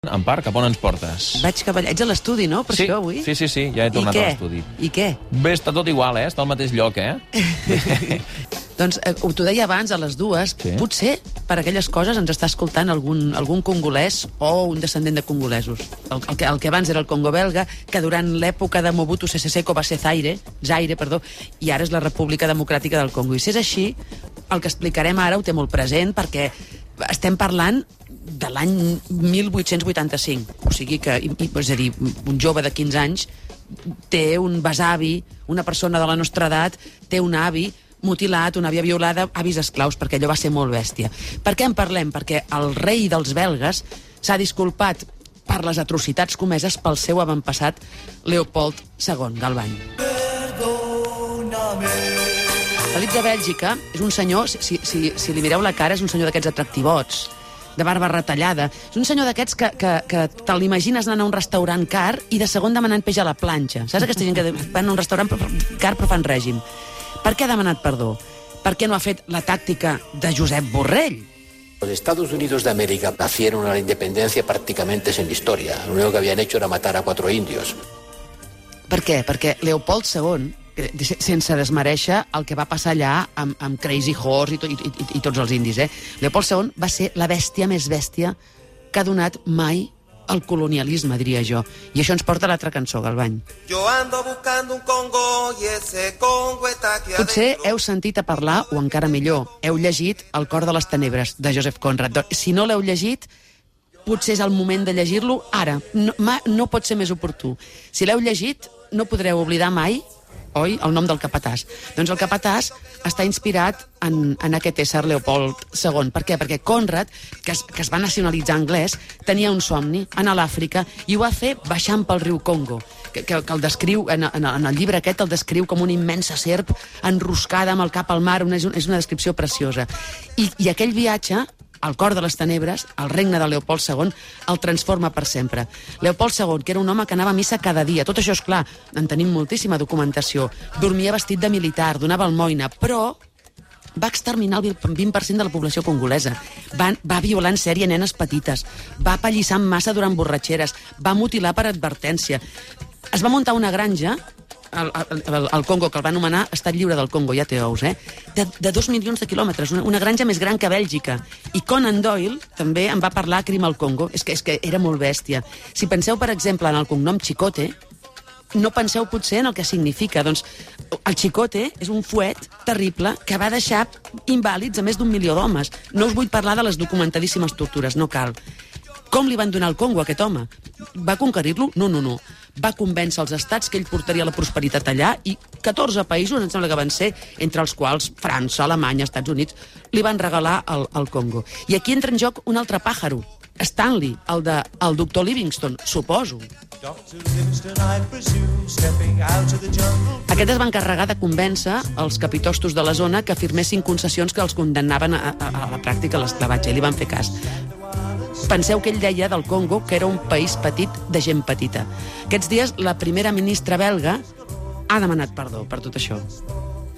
Empar, cap on ens portes? Vaig cap allà. Ets a l'estudi, no? Per això, avui? Sí, ja he tornat a l'estudi. I què? Bé, està tot igual, està al mateix lloc, Doncs t'ho deia abans, a les dues, Sí. potser per aquelles coses ens està escoltant algun congolès o un descendent de congolesos. El que abans era el Congo belga, que durant l'època de Mobutu Sese Seko va ser Zaire, i ara és la República Democràtica del Congo. I si és així, el que explicarem ara ho té molt present, perquè estem parlant de l'any 1885. O sigui que, és a dir, un jove de 15 anys té un besavi, una persona de la nostra edat té un avi mutilat, una àvia violada, avis esclaus, perquè allò va ser molt bèstia. Per què en parlem? Perquè el rei dels belgues s'ha disculpat per les atrocitats comeses pel seu avantpassat Leopold II, Galvany. Felip de Bèlgica és un senyor, si li mireu la cara, és un senyor d'aquests atractivots, de barba retallada. És un senyor d'aquests que te l'imagines anant a un restaurant car i de segon demanant peix a la planxa. Saps aquesta gent que van a un restaurant car però fan règim? Per què ha demanat perdó? Per què no ha fet la tàctica de Josep Borrell? Los Estados Unidos de América nacieron a la independencia prácticamente sin historia. Lo único que habían hecho era matar a 4 indios. Per què? Perquè Leopold II, sense desmereixer el que va passar allà amb Crazy Horse i tots els indis, Leopold II va ser la bèstia més bèstia que ha donat mai el colonialisme, diria jo. I això ens porta a l'altra cançó, Galvany. Yo ando buscando un Congo y ese Congo está aquí Potser adentro. heu sentit a parlar, o encara millor, heu llegit El cor de les tenebres, de Joseph Conrad. Si no l'heu llegit, potser és el moment de llegir-lo ara. No pot ser més oportú. Si l'heu llegit, no podreu oblidar mai, oi, el nom del capatàs. Doncs el capatàs està inspirat en aquest ésser Leopold II. Per què? Perquè Conrad, que es va nacionalitzar anglès, tenia un somni, anar a l'Àfrica, i ho va fer baixant pel riu Congo, que el descriu, en el llibre aquest, el descriu com una immensa serp enroscada amb el cap al mar. És una descripció preciosa. I aquell viatge, al cor de les tenebres, el regne de Leopold II, el transforma per sempre. Leopold II, que era un home que anava a missa cada dia, tot això és clar, en tenim moltíssima documentació, dormia vestit de militar, donava almoina, però va exterminar el 20% de la població congolesa, va violar en sèrie nenes petites, va apallissar en massa durant borratxeres, va mutilar per advertència. Es va muntar una granja al Congo, que el va anomenar Estat Lliure del Congo, ja té ous, de 2 milions de quilòmetres, una granja més gran que Bèlgica. I Conan Doyle també en va parlar a Crim al Congo. És que era molt bèstia. Si penseu, per exemple, en el cognom Chicote, no penseu potser en el que significa. Doncs el Chicote és un fuet terrible que va deixar invàlids a més d'1 milió d'homes. No us vull parlar de les documentadíssimes tortures, no cal. Com li van donar el Congo a aquest home? Va conquerir-lo? No. Va convèncer els estats que ell portaria la prosperitat allà i 14 països, em sembla que van ser, entre els quals França, Alemanya, Estats Units, li van regalar el Congo. I aquí entra en joc un altre pàjaro, Stanley, el doctor Livingstone, suposo. Aquest es va encarregar de convèncer els capitostos de la zona que firmessin concessions que els condemnaven a la pràctica l'esclavatge, i li van fer cas. Penseu que ell deia del Congo que era un país petit de gent petita. Aquests dies la primera ministra belga ha demanat perdó per tot això.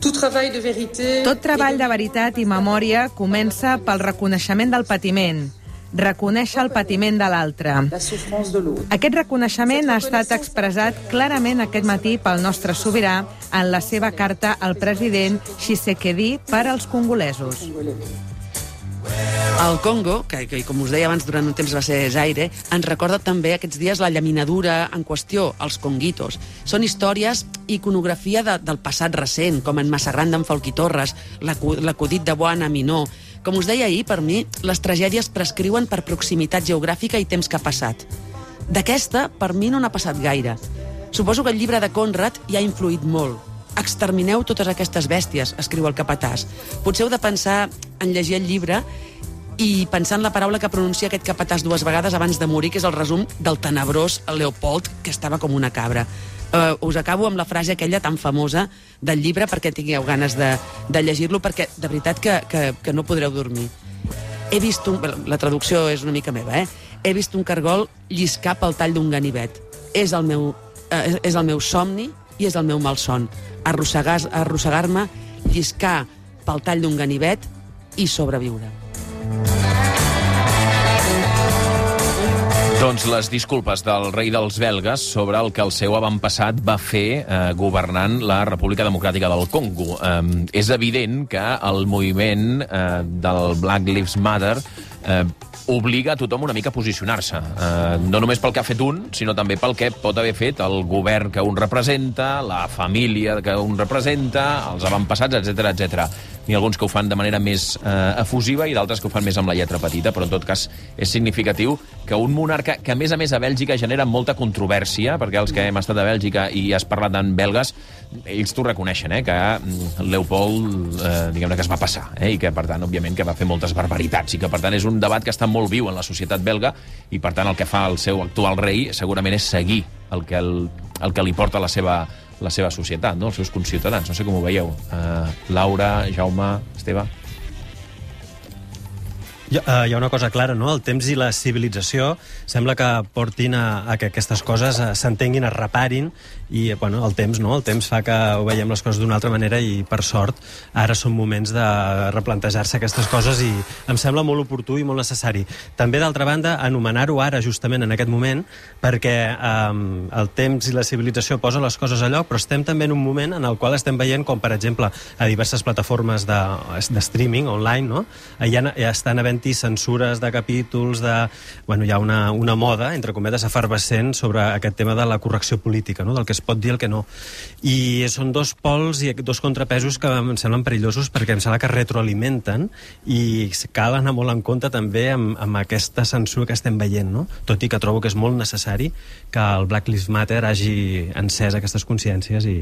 Tot treball de veritat i memòria comença pel reconeixement del patiment. Reconèixer el patiment de l'altre. Aquest reconeixement ha estat expressat clarament aquest matí pel nostre sobirà en la seva carta al president Tshisekedi per als congolesos. El Congo, que com us deia abans durant un temps va ser Zaire, ens recorda també aquests dies la llaminadura en qüestió, els conguitos. Són històries i iconografia del passat recent, com en Massarran d'en Falquí Torres, l'acudit de Boana Minó. Com us deia ahir, per mi, les tragèdies prescriuen per proximitat geogràfica i temps que ha passat. D'aquesta, per mi, no n'ha passat gaire. Suposo que el llibre de Conrad hi ha influït molt. Extermineu totes aquestes bèsties, escriu el capatàs. Potser heu de pensar en llegir el llibre i pensar en la paraula que pronuncia aquest capatàs 2 vegades abans de morir, que és el resum del tenebrós Leopold, que estava com una cabra. Us acabo amb la frase aquella tan famosa del llibre perquè tingueu ganes de llegir-lo, perquè de veritat que no podreu dormir. La traducció és una mica meva, He vist un cargol lliscar pel tall d'un ganivet. És el meu somni i és el meu malson. Arrossegar-me, lliscar pel tall d'un ganivet i sobreviure. Doncs les disculpes del rei dels belgues sobre el que el seu avantpassat va fer governant la República Democràtica del Congo. És evident que el moviment del Black Lives Matter obliga a tothom una mica a posicionar-se. No només pel que ha fet un, sinó també pel que pot haver fet el govern que un representa, la família que un representa, els avantpassats, etc etc. N'hi ha alguns que ho fan de manera més efusiva i d'altres que ho fan més amb la lletra petita, però en tot cas és significatiu que un monarca, que a més a Bèlgica genera molta controvèrsia, perquè els que hem estat a Bèlgica i has parlat en belgues, ells t'ho reconeixen, que Leopold, diguem-ne que es va passar, i que, per tant, òbviament, que va fer moltes barbaritats, i que, per tant, és un debat que està molt viu en la societat belga, i, per tant, el que fa el seu actual rei segurament és seguir el que li porta la seva societat, no? Els seus conciutadans. No sé com ho veieu. Laura, Jaume, Esteve... Hi ha una cosa clara, no? El temps i la civilització sembla que portin a que aquestes coses s'entenguin, es reparin, i bueno, el temps no, el temps fa que ho veiem les coses d'una altra manera i, per sort, ara són moments de replantejar-se aquestes coses i em sembla molt oportú i molt necessari. També, d'altra banda, anomenar-ho ara, justament en aquest moment, perquè el temps i la civilització posen les coses a lloc, però estem també en un moment en el qual estem veient com, per exemple, a diverses plataformes de streaming online, no? Ja estan havent censures de capítols, hi ha una moda, entre cometes, efervescent sobre aquest tema de la correcció política, no? Del que es pot dir i el que no. I són dos pols i dos contrapesos que em semblen perillosos perquè em sembla que retroalimenten i cal anar molt en compte també amb aquesta censura que estem veient, no? Tot i que trobo que és molt necessari que el Black Lives Matter hagi encès aquestes consciències i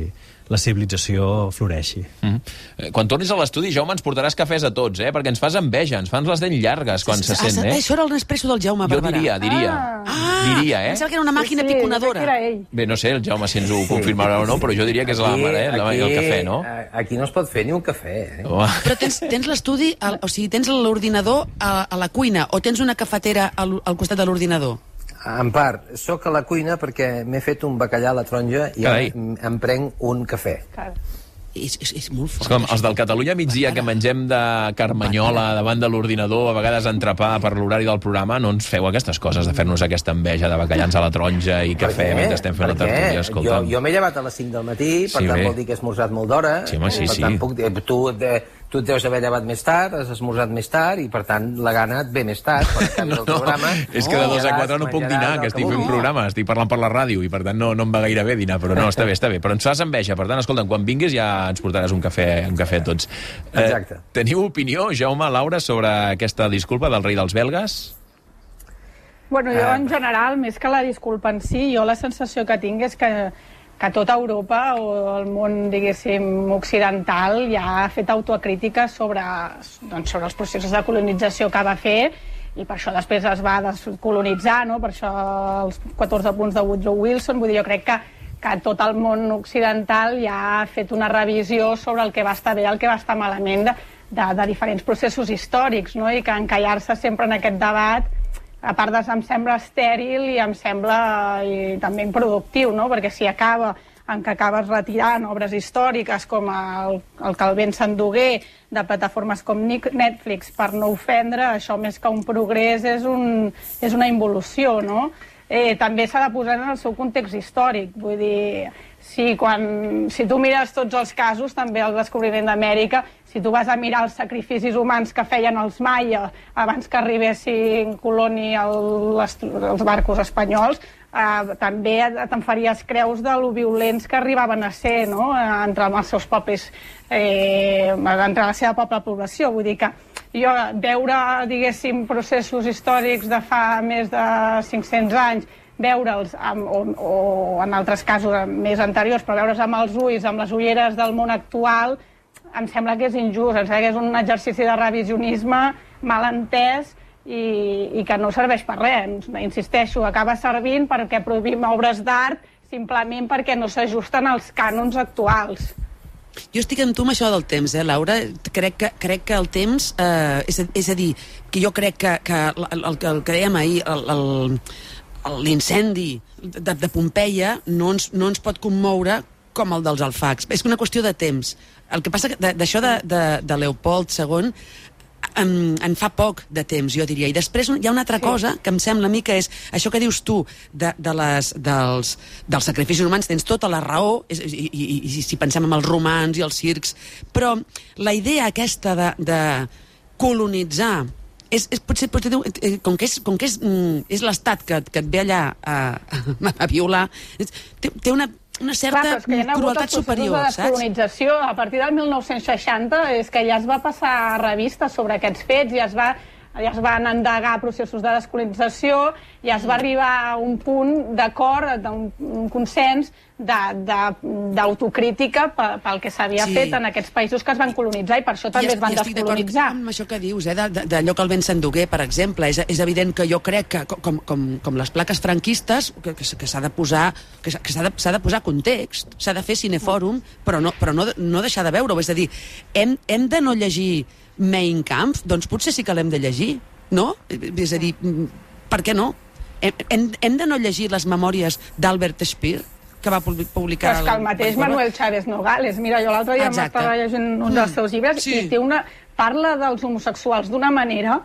la civilització floreixi. Quan tornis a l'estudi, Jaume, ens portaràs cafès a tots, perquè ens fas enveja, ens fas les dents llargues quan se sent, Això era el Nespresso del Jaume Barberà. Jo diria, Pensava que era una màquina piconadora. Bé, no sé, el Jaume si ens ho confirmarà o no, però jo diria que és la mare, el cafè, no? Aquí no es pot fer ni un cafè, Però tens l'estudi, o sigui, tens l'ordinador a la cuina, o tens una cafetera al costat de l'ordinador? En part, sóc a la cuina perquè m'he fet un bacallà a la taronja i em prenc un cafè. És molt fort. És com els del Catalunya migdia que mengem de carmanyola davant de l'ordinador, a vegades entrepà per l'horari del programa, no ens feu aquestes coses de fer-nos aquesta enveja de bacallans a la taronja i cafè mentre estem fent la tertúlia, escolta'm. Jo m'he llevat a les 5 del matí, per tant vol dir que he esmorzat molt d'hora. Sí, home, sí. Per tant, tu et deus haver llevat més tard, has esmorzat més tard i, per tant, la gana et ve més tard. És que de 2 a 4 no puc dinar, que estic fent programa, estic parlant per la ràdio i, per tant, no em va gaire bé dinar, però no, està bé. Però ens fas enveja, per tant, escolta'm, quan vinguis ja ens portaràs un cafè a tots. Exacte. Teniu opinió, Jaume, Laura, sobre aquesta disculpa del rei dels belgues? Bueno, jo, en general, més que la disculpa en si, jo la sensació que tinc és que tota Europa o el món, diguéssim, occidental ja ha fet autocrítica sobre els processos de colonització que va fer i per això després es va descolonitzar, no? Per això els 14 punts de Woodrow Wilson. Vull dir, jo crec que tot el món occidental ja ha fet una revisió sobre el que va estar bé i el que va estar malament de diferents processos històrics, no? I que encallar-se sempre en aquest debat, a part em sembla estèril i em sembla també improductiu, no? Perquè si acaba en que acabes retirant obres històriques com el que el vent s'endugué de plataformes com Netflix per no ofendre, això més que un progrés és una involució, no? També s'ha de posar en el seu context històric, vull dir, si tu mires tots els casos, també el descobriment d'Amèrica, si tu vas a mirar els sacrificis humans que feien els maia abans que arribessin coloni els barcos espanyols, també te'n faries creus de lo violents que arribaven a ser, no? Entre els seus propis, entre la seva pròpia població. Vull dir que jo veure, diguéssim, processos històrics de fa més de 500 anys, veure'ls, o en altres casos més anteriors, però veure'ls amb els ulls, amb les ulleres del món actual, em sembla que és injust, em sembla que és un exercici de revisionisme mal entès i que no serveix per res. Insisteixo, acaba servint perquè prohibim obres d'art simplement perquè no s'ajusten als cànons actuals. Jo estic amb tu amb això del temps, Laura. Crec que el temps, és a dir, que jo crec que el que dèiem ahir, l'incendi de Pompeia no ens pot commoure com el dels alfacs. És una qüestió de temps. El que passa d'això de Leopold II, en fa poc de temps, jo diria. I després hi ha una altra cosa que em sembla a mi que és això que dius tu dels sacrificis humans, tens tota la raó, i si pensem en els romans i els circs, però la idea aquesta de colonitzar potser com que és l'Estat que et ve allà a violar, té una certa crueltat superior, saps? De descolonització, a partir del 1960, és que ja es va passar revistes sobre aquests fets, ja es van endegar processos de descolonització, ja es va arribar a un punt d'acord, un consens d'autocrítica pel que s'havia fet en aquests països que es van colonitzar, i per això també es van descolonitzar. Amb això que dius, d'allò que el Ben Sanduguer, per exemple, és evident que jo crec que, com les plaques franquistes, que s'ha de posar context, s'ha de fer cinefòrum, però no deixar de veure-ho. És a dir, hem de no llegir Mein Kampf? Doncs potser sí que l'hem de llegir, no? És a dir, per què no? Hem de no llegir les memòries d'Albert Speer, que va publicar... Però és que el mateix Manuel Chávez Nogales. Mira, jo l'altre dia m'estava llegint un dels seus llibres i parla dels homosexuals d'una manera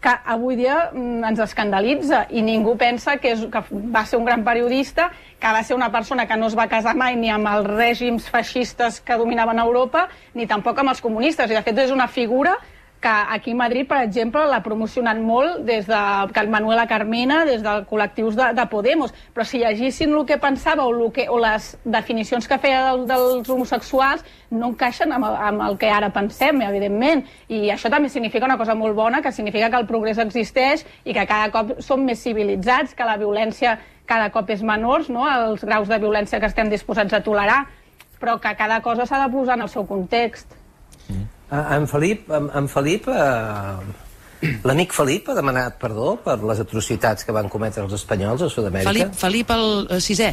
que avui dia ens escandalitza, i ningú pensa que va ser un gran periodista, que va ser una persona que no es va casar mai ni amb els règims feixistes que dominaven Europa, ni tampoc amb els comunistes. I de fet és una figura que aquí a Madrid, per exemple, l'ha promocionat molt des de Manuela Carmena, des dels col·lectius de Podemos. Però si llegissin el que pensava o les definicions que feia dels homosexuals, no encaixen amb el que ara pensem, evidentment. I això també significa una cosa molt bona, que significa que el progrés existeix i que cada cop som més civilitzats, que la violència cada cop és menor, no?, els graus de violència que estem disposats a tolerar, però que cada cosa s'ha de posar en el seu context. En Felip, l'amic Felip ha demanat perdó per les atrocitats que van cometre els espanyols a Sud-amèrica? Felip el sisè?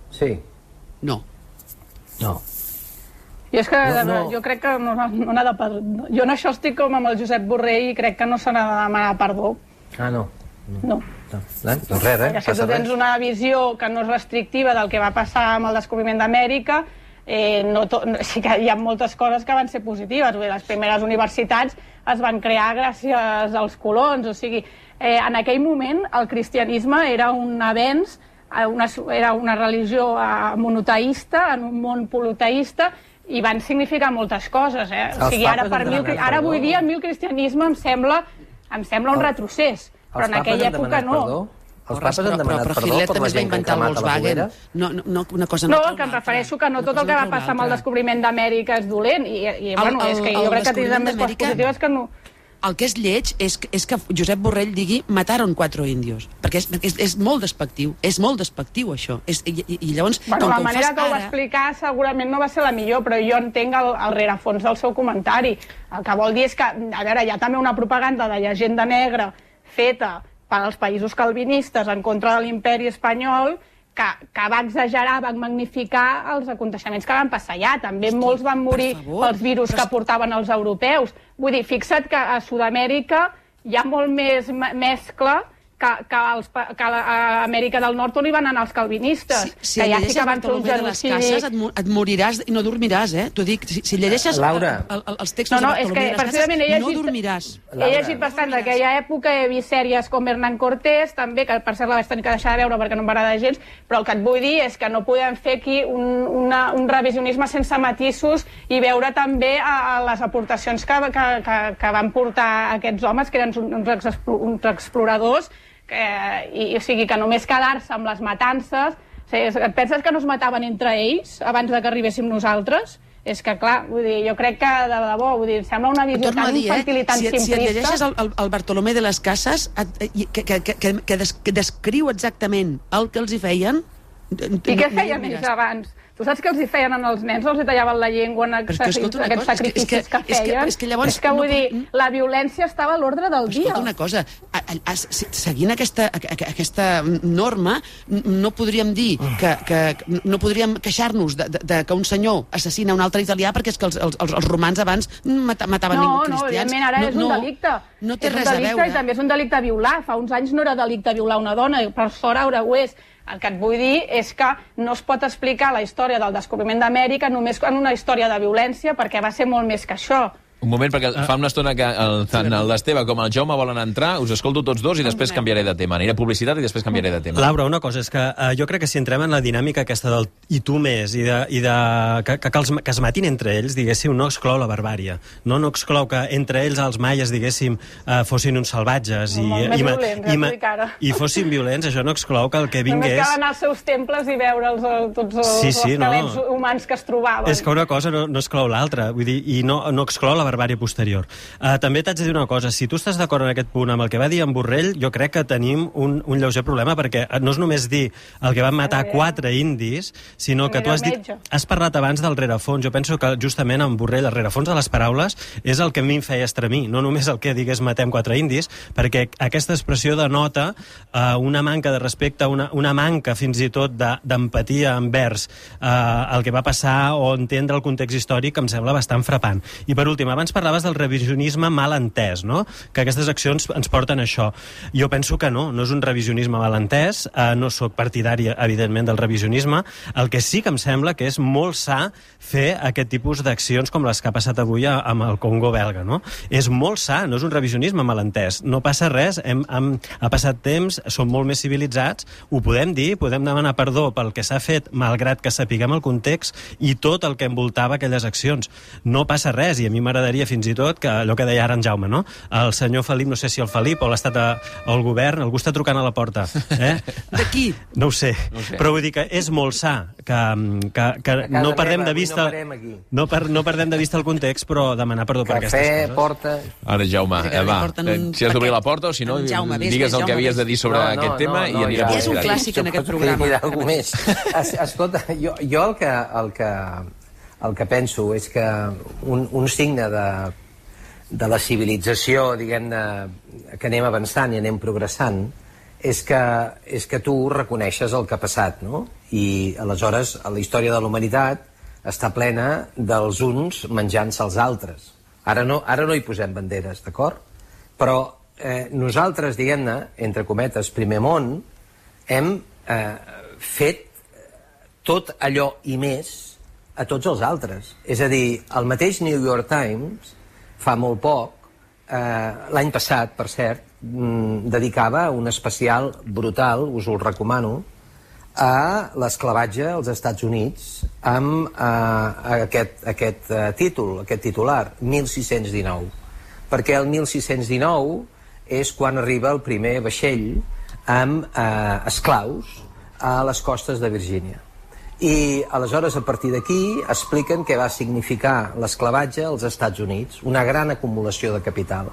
Sí. No. Jo crec que no n'ha de perdó. Jo en això estic com amb el Josep Borrell i crec que no se n'ha de demanar perdó. Ah, no? No. Doncs res, si tu tens una visió que no és restrictiva del que va passar amb el descobriment d'Amèrica, sí que hi ha moltes coses que van ser positives. Les primeres universitats es van crear gràcies als colons. O sigui, en aquell moment el cristianisme era un avenç, era una religió monoteista, en un món politeista, i van significar moltes coses. O sigui, ara avui dia a mi el cristianisme em sembla un retrocés, però en aquella època no. Els papes han demanat perdó per la gent que han cremat a la foguera? No, que em refereixo que no tot el que va passar amb el descobriment d'Amèrica és dolent, i bueno, és que jo crec que tindrem més coses positives que no. El que és lleig és que Josep Borrell digui mataron 4 indios, perquè és molt despectiu, això. I llavors, la manera que ho va explicar segurament no va ser la millor, però jo entenc el rerefons del seu comentari. El que vol dir és que, a veure, hi ha també una propaganda de llegenda negra feta per als països calvinistes en contra de l'imperi espanyol, que va exagerar, va magnificar els aconteixements que van passar allà. També molts van morir pels virus que portaven els europeus. Vull dir, fixa't que a Sud-amèrica hi ha molt més mescla que a Amèrica del Nord on hi van anar els calvinistes. Si llegeixes Bartolomé de les Cases et moriràs i no dormiràs, T'ho dic, si llegeixes els textos de Bartolomé de les Cases no dormiràs. He llegit bastant d'aquella època, he vist sèries com Hernán Cortés, també, que per cert la vaig tenir que deixar de veure perquè no em va agradar gens, però el que et vull dir és que no podem fer aquí un revisionisme sense matisos i veure també les aportacions que van portar aquests homes, que eren uns exploradors, o sigui, que només quedar-se amb les matances. Et penses que no es mataven entre ells abans que arribéssim nosaltres? És que, clar, vull dir, jo crec que, de debò, vull dir, sembla una visió tan infantil i tan simplista. Si et llegeixes el Bartolomé de les Cases, que descriu exactament el que els hi feien... I què feien ells abans? Tu saps que els hi feien als nens? Els hi tallaven la llengua en aquests sacrificis que feien? És que vull dir, la violència estava a l'ordre del dia. Escolta una cosa, seguint aquesta norma, no podríem dir no podríem queixar-nos que un senyor assassina un altre italià perquè és que els romans abans mataven cristians. No, evidentment, ara és un delicte. No té res a veure. I també és un delicte violar. Fa uns anys no era delicte violar una dona, i per sort ara ho és. El que et vull dir és que no es pot explicar la història del descobriment d'Amèrica només en una història de violència, perquè va ser molt més que això. Un moment, perquè fa una estona que tant l'Esteve com el Jaume volen entrar, us escolto tots dos i després canviaré de tema. Aniré a publicitat i després canviaré de tema. Laura, una cosa, és que jo crec que si entrem en la dinàmica aquesta del i tu més, que es matin entre ells, diguéssim, no exclou la barbària. No exclou que entre ells, els maies, diguéssim, fossin uns salvatges i fossin violents, això no exclou que el que vingués... Només cal anar als seus temples i veure'ls tots els esquelets humans que es trobaven. És que una cosa no exclou l'altra, vull dir, i no exclou la barbària posterior. També t'haig de dir una cosa, si tu estàs d'acord en aquest punt amb el que va dir en Borrell, jo crec que tenim un lleuger problema, perquè no és només dir el que van matar 4 indis, sinó que tu has parlat abans del rerefons. Jo penso que justament en Borrell el rerefons de les paraules és el que a mi em feia estremir, no només el que digués matem 4 indis, perquè aquesta expressió denota una manca de respecte, una manca fins i tot d'empatia envers el que va passar o entendre el context històric, que em sembla bastant frapant. I per últim, abans parlaves del revisionisme mal entès, no? Que aquestes accions ens porten a això. Jo penso que no és un revisionisme mal entès, no sóc partidari, evidentment, del revisionisme. El que sí que em sembla que és molt sa fer aquest tipus d'accions com les que ha passat avui amb el Congo belga, no? És molt sa, no és un revisionisme mal entès. No passa res, ha passat temps, som molt més civilitzats, ho podem dir, podem demanar perdó pel que s'ha fet, malgrat que sapiguem el context i tot el que envoltava aquelles accions. No passa res, i a mi m'agradaria fins i tot que allò que deia ara en Jaume, no? El senyor Felip, no sé si el Felip o l'estat o el govern, algú està trucant a la porta. De qui? No ho sé, però vull dir que és molt sa que no perdem de vista no perdem de vista el context, però demanar perdó per aquestes coses. Cafè, porta... Ara, Jaume, va, si has d'obrir la porta o si no, digues el que havies de dir sobre aquest tema i aniré a és un clàssic en aquest programa. Escolta, jo el que penso és que un signe de la civilització, diguem-ne, que anem avançant i anem progressant, és que tu reconeixes el que ha passat, no? I aleshores la història de la humanitat està plena dels uns menjant-se els altres. Ara no hi posem banderes, d'acord? Però nosaltres, diguem-ne, entre cometes, primer món, hem fet tot allò i més a tots els altres. És a dir, el mateix New York Times, fa molt poc, l'any passat, per cert, dedicava un especial brutal, us ho recomano, a l'esclavatge als Estats Units amb aquest titular, 1619. Perquè el 1619 és quan arriba el primer vaixell amb esclaus a les costes de Virgínia. I aleshores a partir d'aquí expliquen què va significar l'esclavatge als Estats Units, una gran acumulació de capital.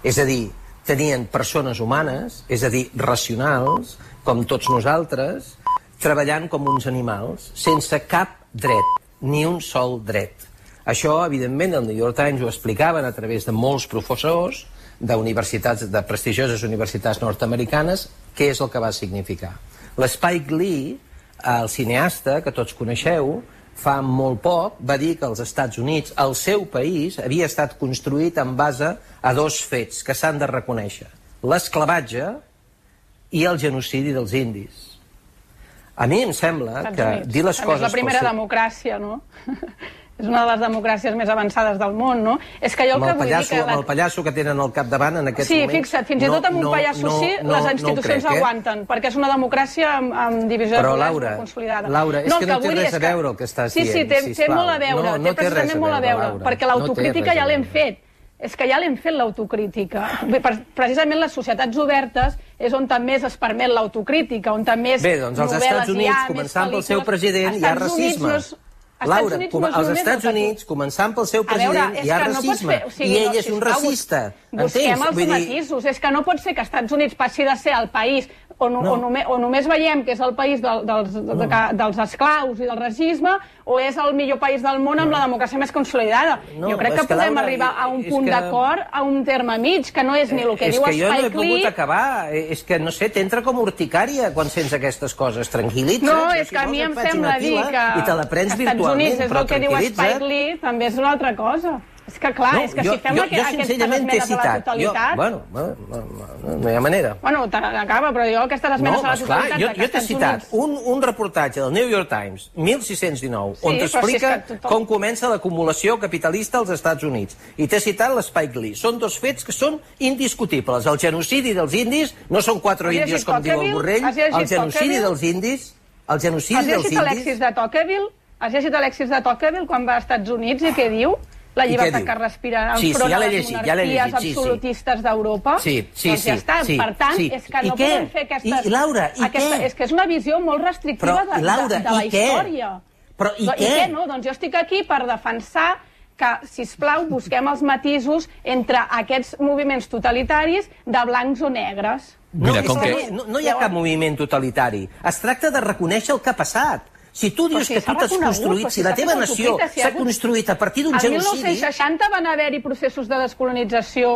És a dir, tenien persones humanes, és a dir, racionals, com tots nosaltres, treballant com uns animals, sense cap dret, ni un sol dret. Això, evidentment, el New York Times ho explicaven a través de molts professors d'universitats, de prestigioses universitats nord-americanes, què és el que va significar. L'Spike Lee, el cineasta que tots coneixeu, fa molt poc va dir que els Estats Units, el seu país, havia estat construït en base a 2 fets que s'han de reconèixer: l'esclavatge i el genocidi dels indis. A mi em sembla que dir les coses... És la primera democràcia, no? És una de les democràcies més avançades del món, no? És que jo el que vull dir que... Amb el pallasso que tenen al capdavant en aquests moments... Sí, fixa't, fins i tot amb un pallasso sí, les institucions aguanten, perquè és una democràcia amb divisió de poders consolidada. Laura, és que no té res a veure el que estàs dient, sisplau. Sí, té molt a veure, té precisament molt a veure, perquè l'autocrítica ja l'hem fet. És que ja l'hem fet, l'autocrítica. Precisament les societats obertes és on també es permet l'autocrítica, on també és novel·les hi ha, més pel·lícules... Bé, doncs als Estats Units, començant pel seu president, hi ha racisme. Laura, als Estats Units, començant pel seu president, hi ha racisme. I ell és un racista. Busquem els matisos. És que no pot ser que els Estats Units passi de ser el país o només veiem que és el país dels esclaus i del racisme, o és el millor país del món amb la democràcia més consolidada. Jo crec que podem arribar a un punt d'acord, a un terme mig, que no és ni el que diu Spike Lee... És que jo no he pogut acabar. És que, no sé, t'entra com urticària quan sents aquestes coses. Tranquil·litza't. No, és que a mi em sembla dir que i te la prens virtualment, és el que diu Spike Lee, també és una altra cosa. És que clar, és que si fem aquestes esmenes a la totalitat... Bueno, no hi ha manera. Bueno, acaba, però jo aquestes esmenes a la totalitat... Jo t'he citat un reportatge del New York Times, 1619, on t'explica com comença l'acumulació capitalista als Estats Units. I t'he citat l'Spike Lee. Són dos fets que són indiscutibles. El genocidi dels indis, no són 4 índios com diu el Borrell, el genocidi dels indis... El genocidi dels indis... Has llegit l'Alexis de Tocqueville quan va als Estats Units i què diu? La llibertat que respira enfront de les monarquies absolutistes d'Europa. Doncs ja està. Per tant, és que no podem fer aquestes... I Laura, i què? És que és una visió molt restrictiva de la història. Però i què? I què no? Doncs jo estic aquí per defensar que, sisplau, busquem els matisos entre aquests moviments totalitaris de blancs o negres. No hi ha cap moviment totalitari. Es tracta de reconèixer el que ha passat. Si tu dius que tu t'has construït, si la teva nació s'ha construït a partir d'un genocidi... El 1960 van haver-hi processos de descolonització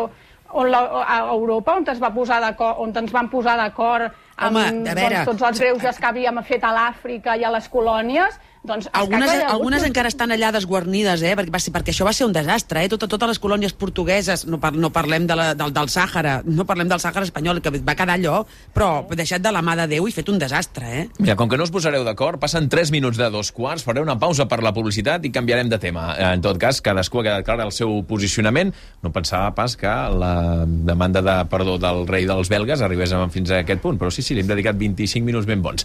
a Europa, on ens van posar d'acord amb tots els greuges que havíem fet a l'Àfrica i a les colònies. Algunes encara estan allà desguarnides, perquè això va ser un desastre. Totes les colònies portugueses, no parlem del Sàhara, no parlem del Sàhara espanyol, que va quedar allò, però deixat de la mà de Déu i fet un desastre. Mira, com que no us posareu d'acord, passen 3 minuts de 2:15, faré una pausa per la publicitat i canviarem de tema. En tot cas, cadascú ha quedat clar el seu posicionament. No pensava pas que la demanda de perdó del rei dels belgues arribés fins a aquest punt, però sí, li hem dedicat 25 minuts ben bons.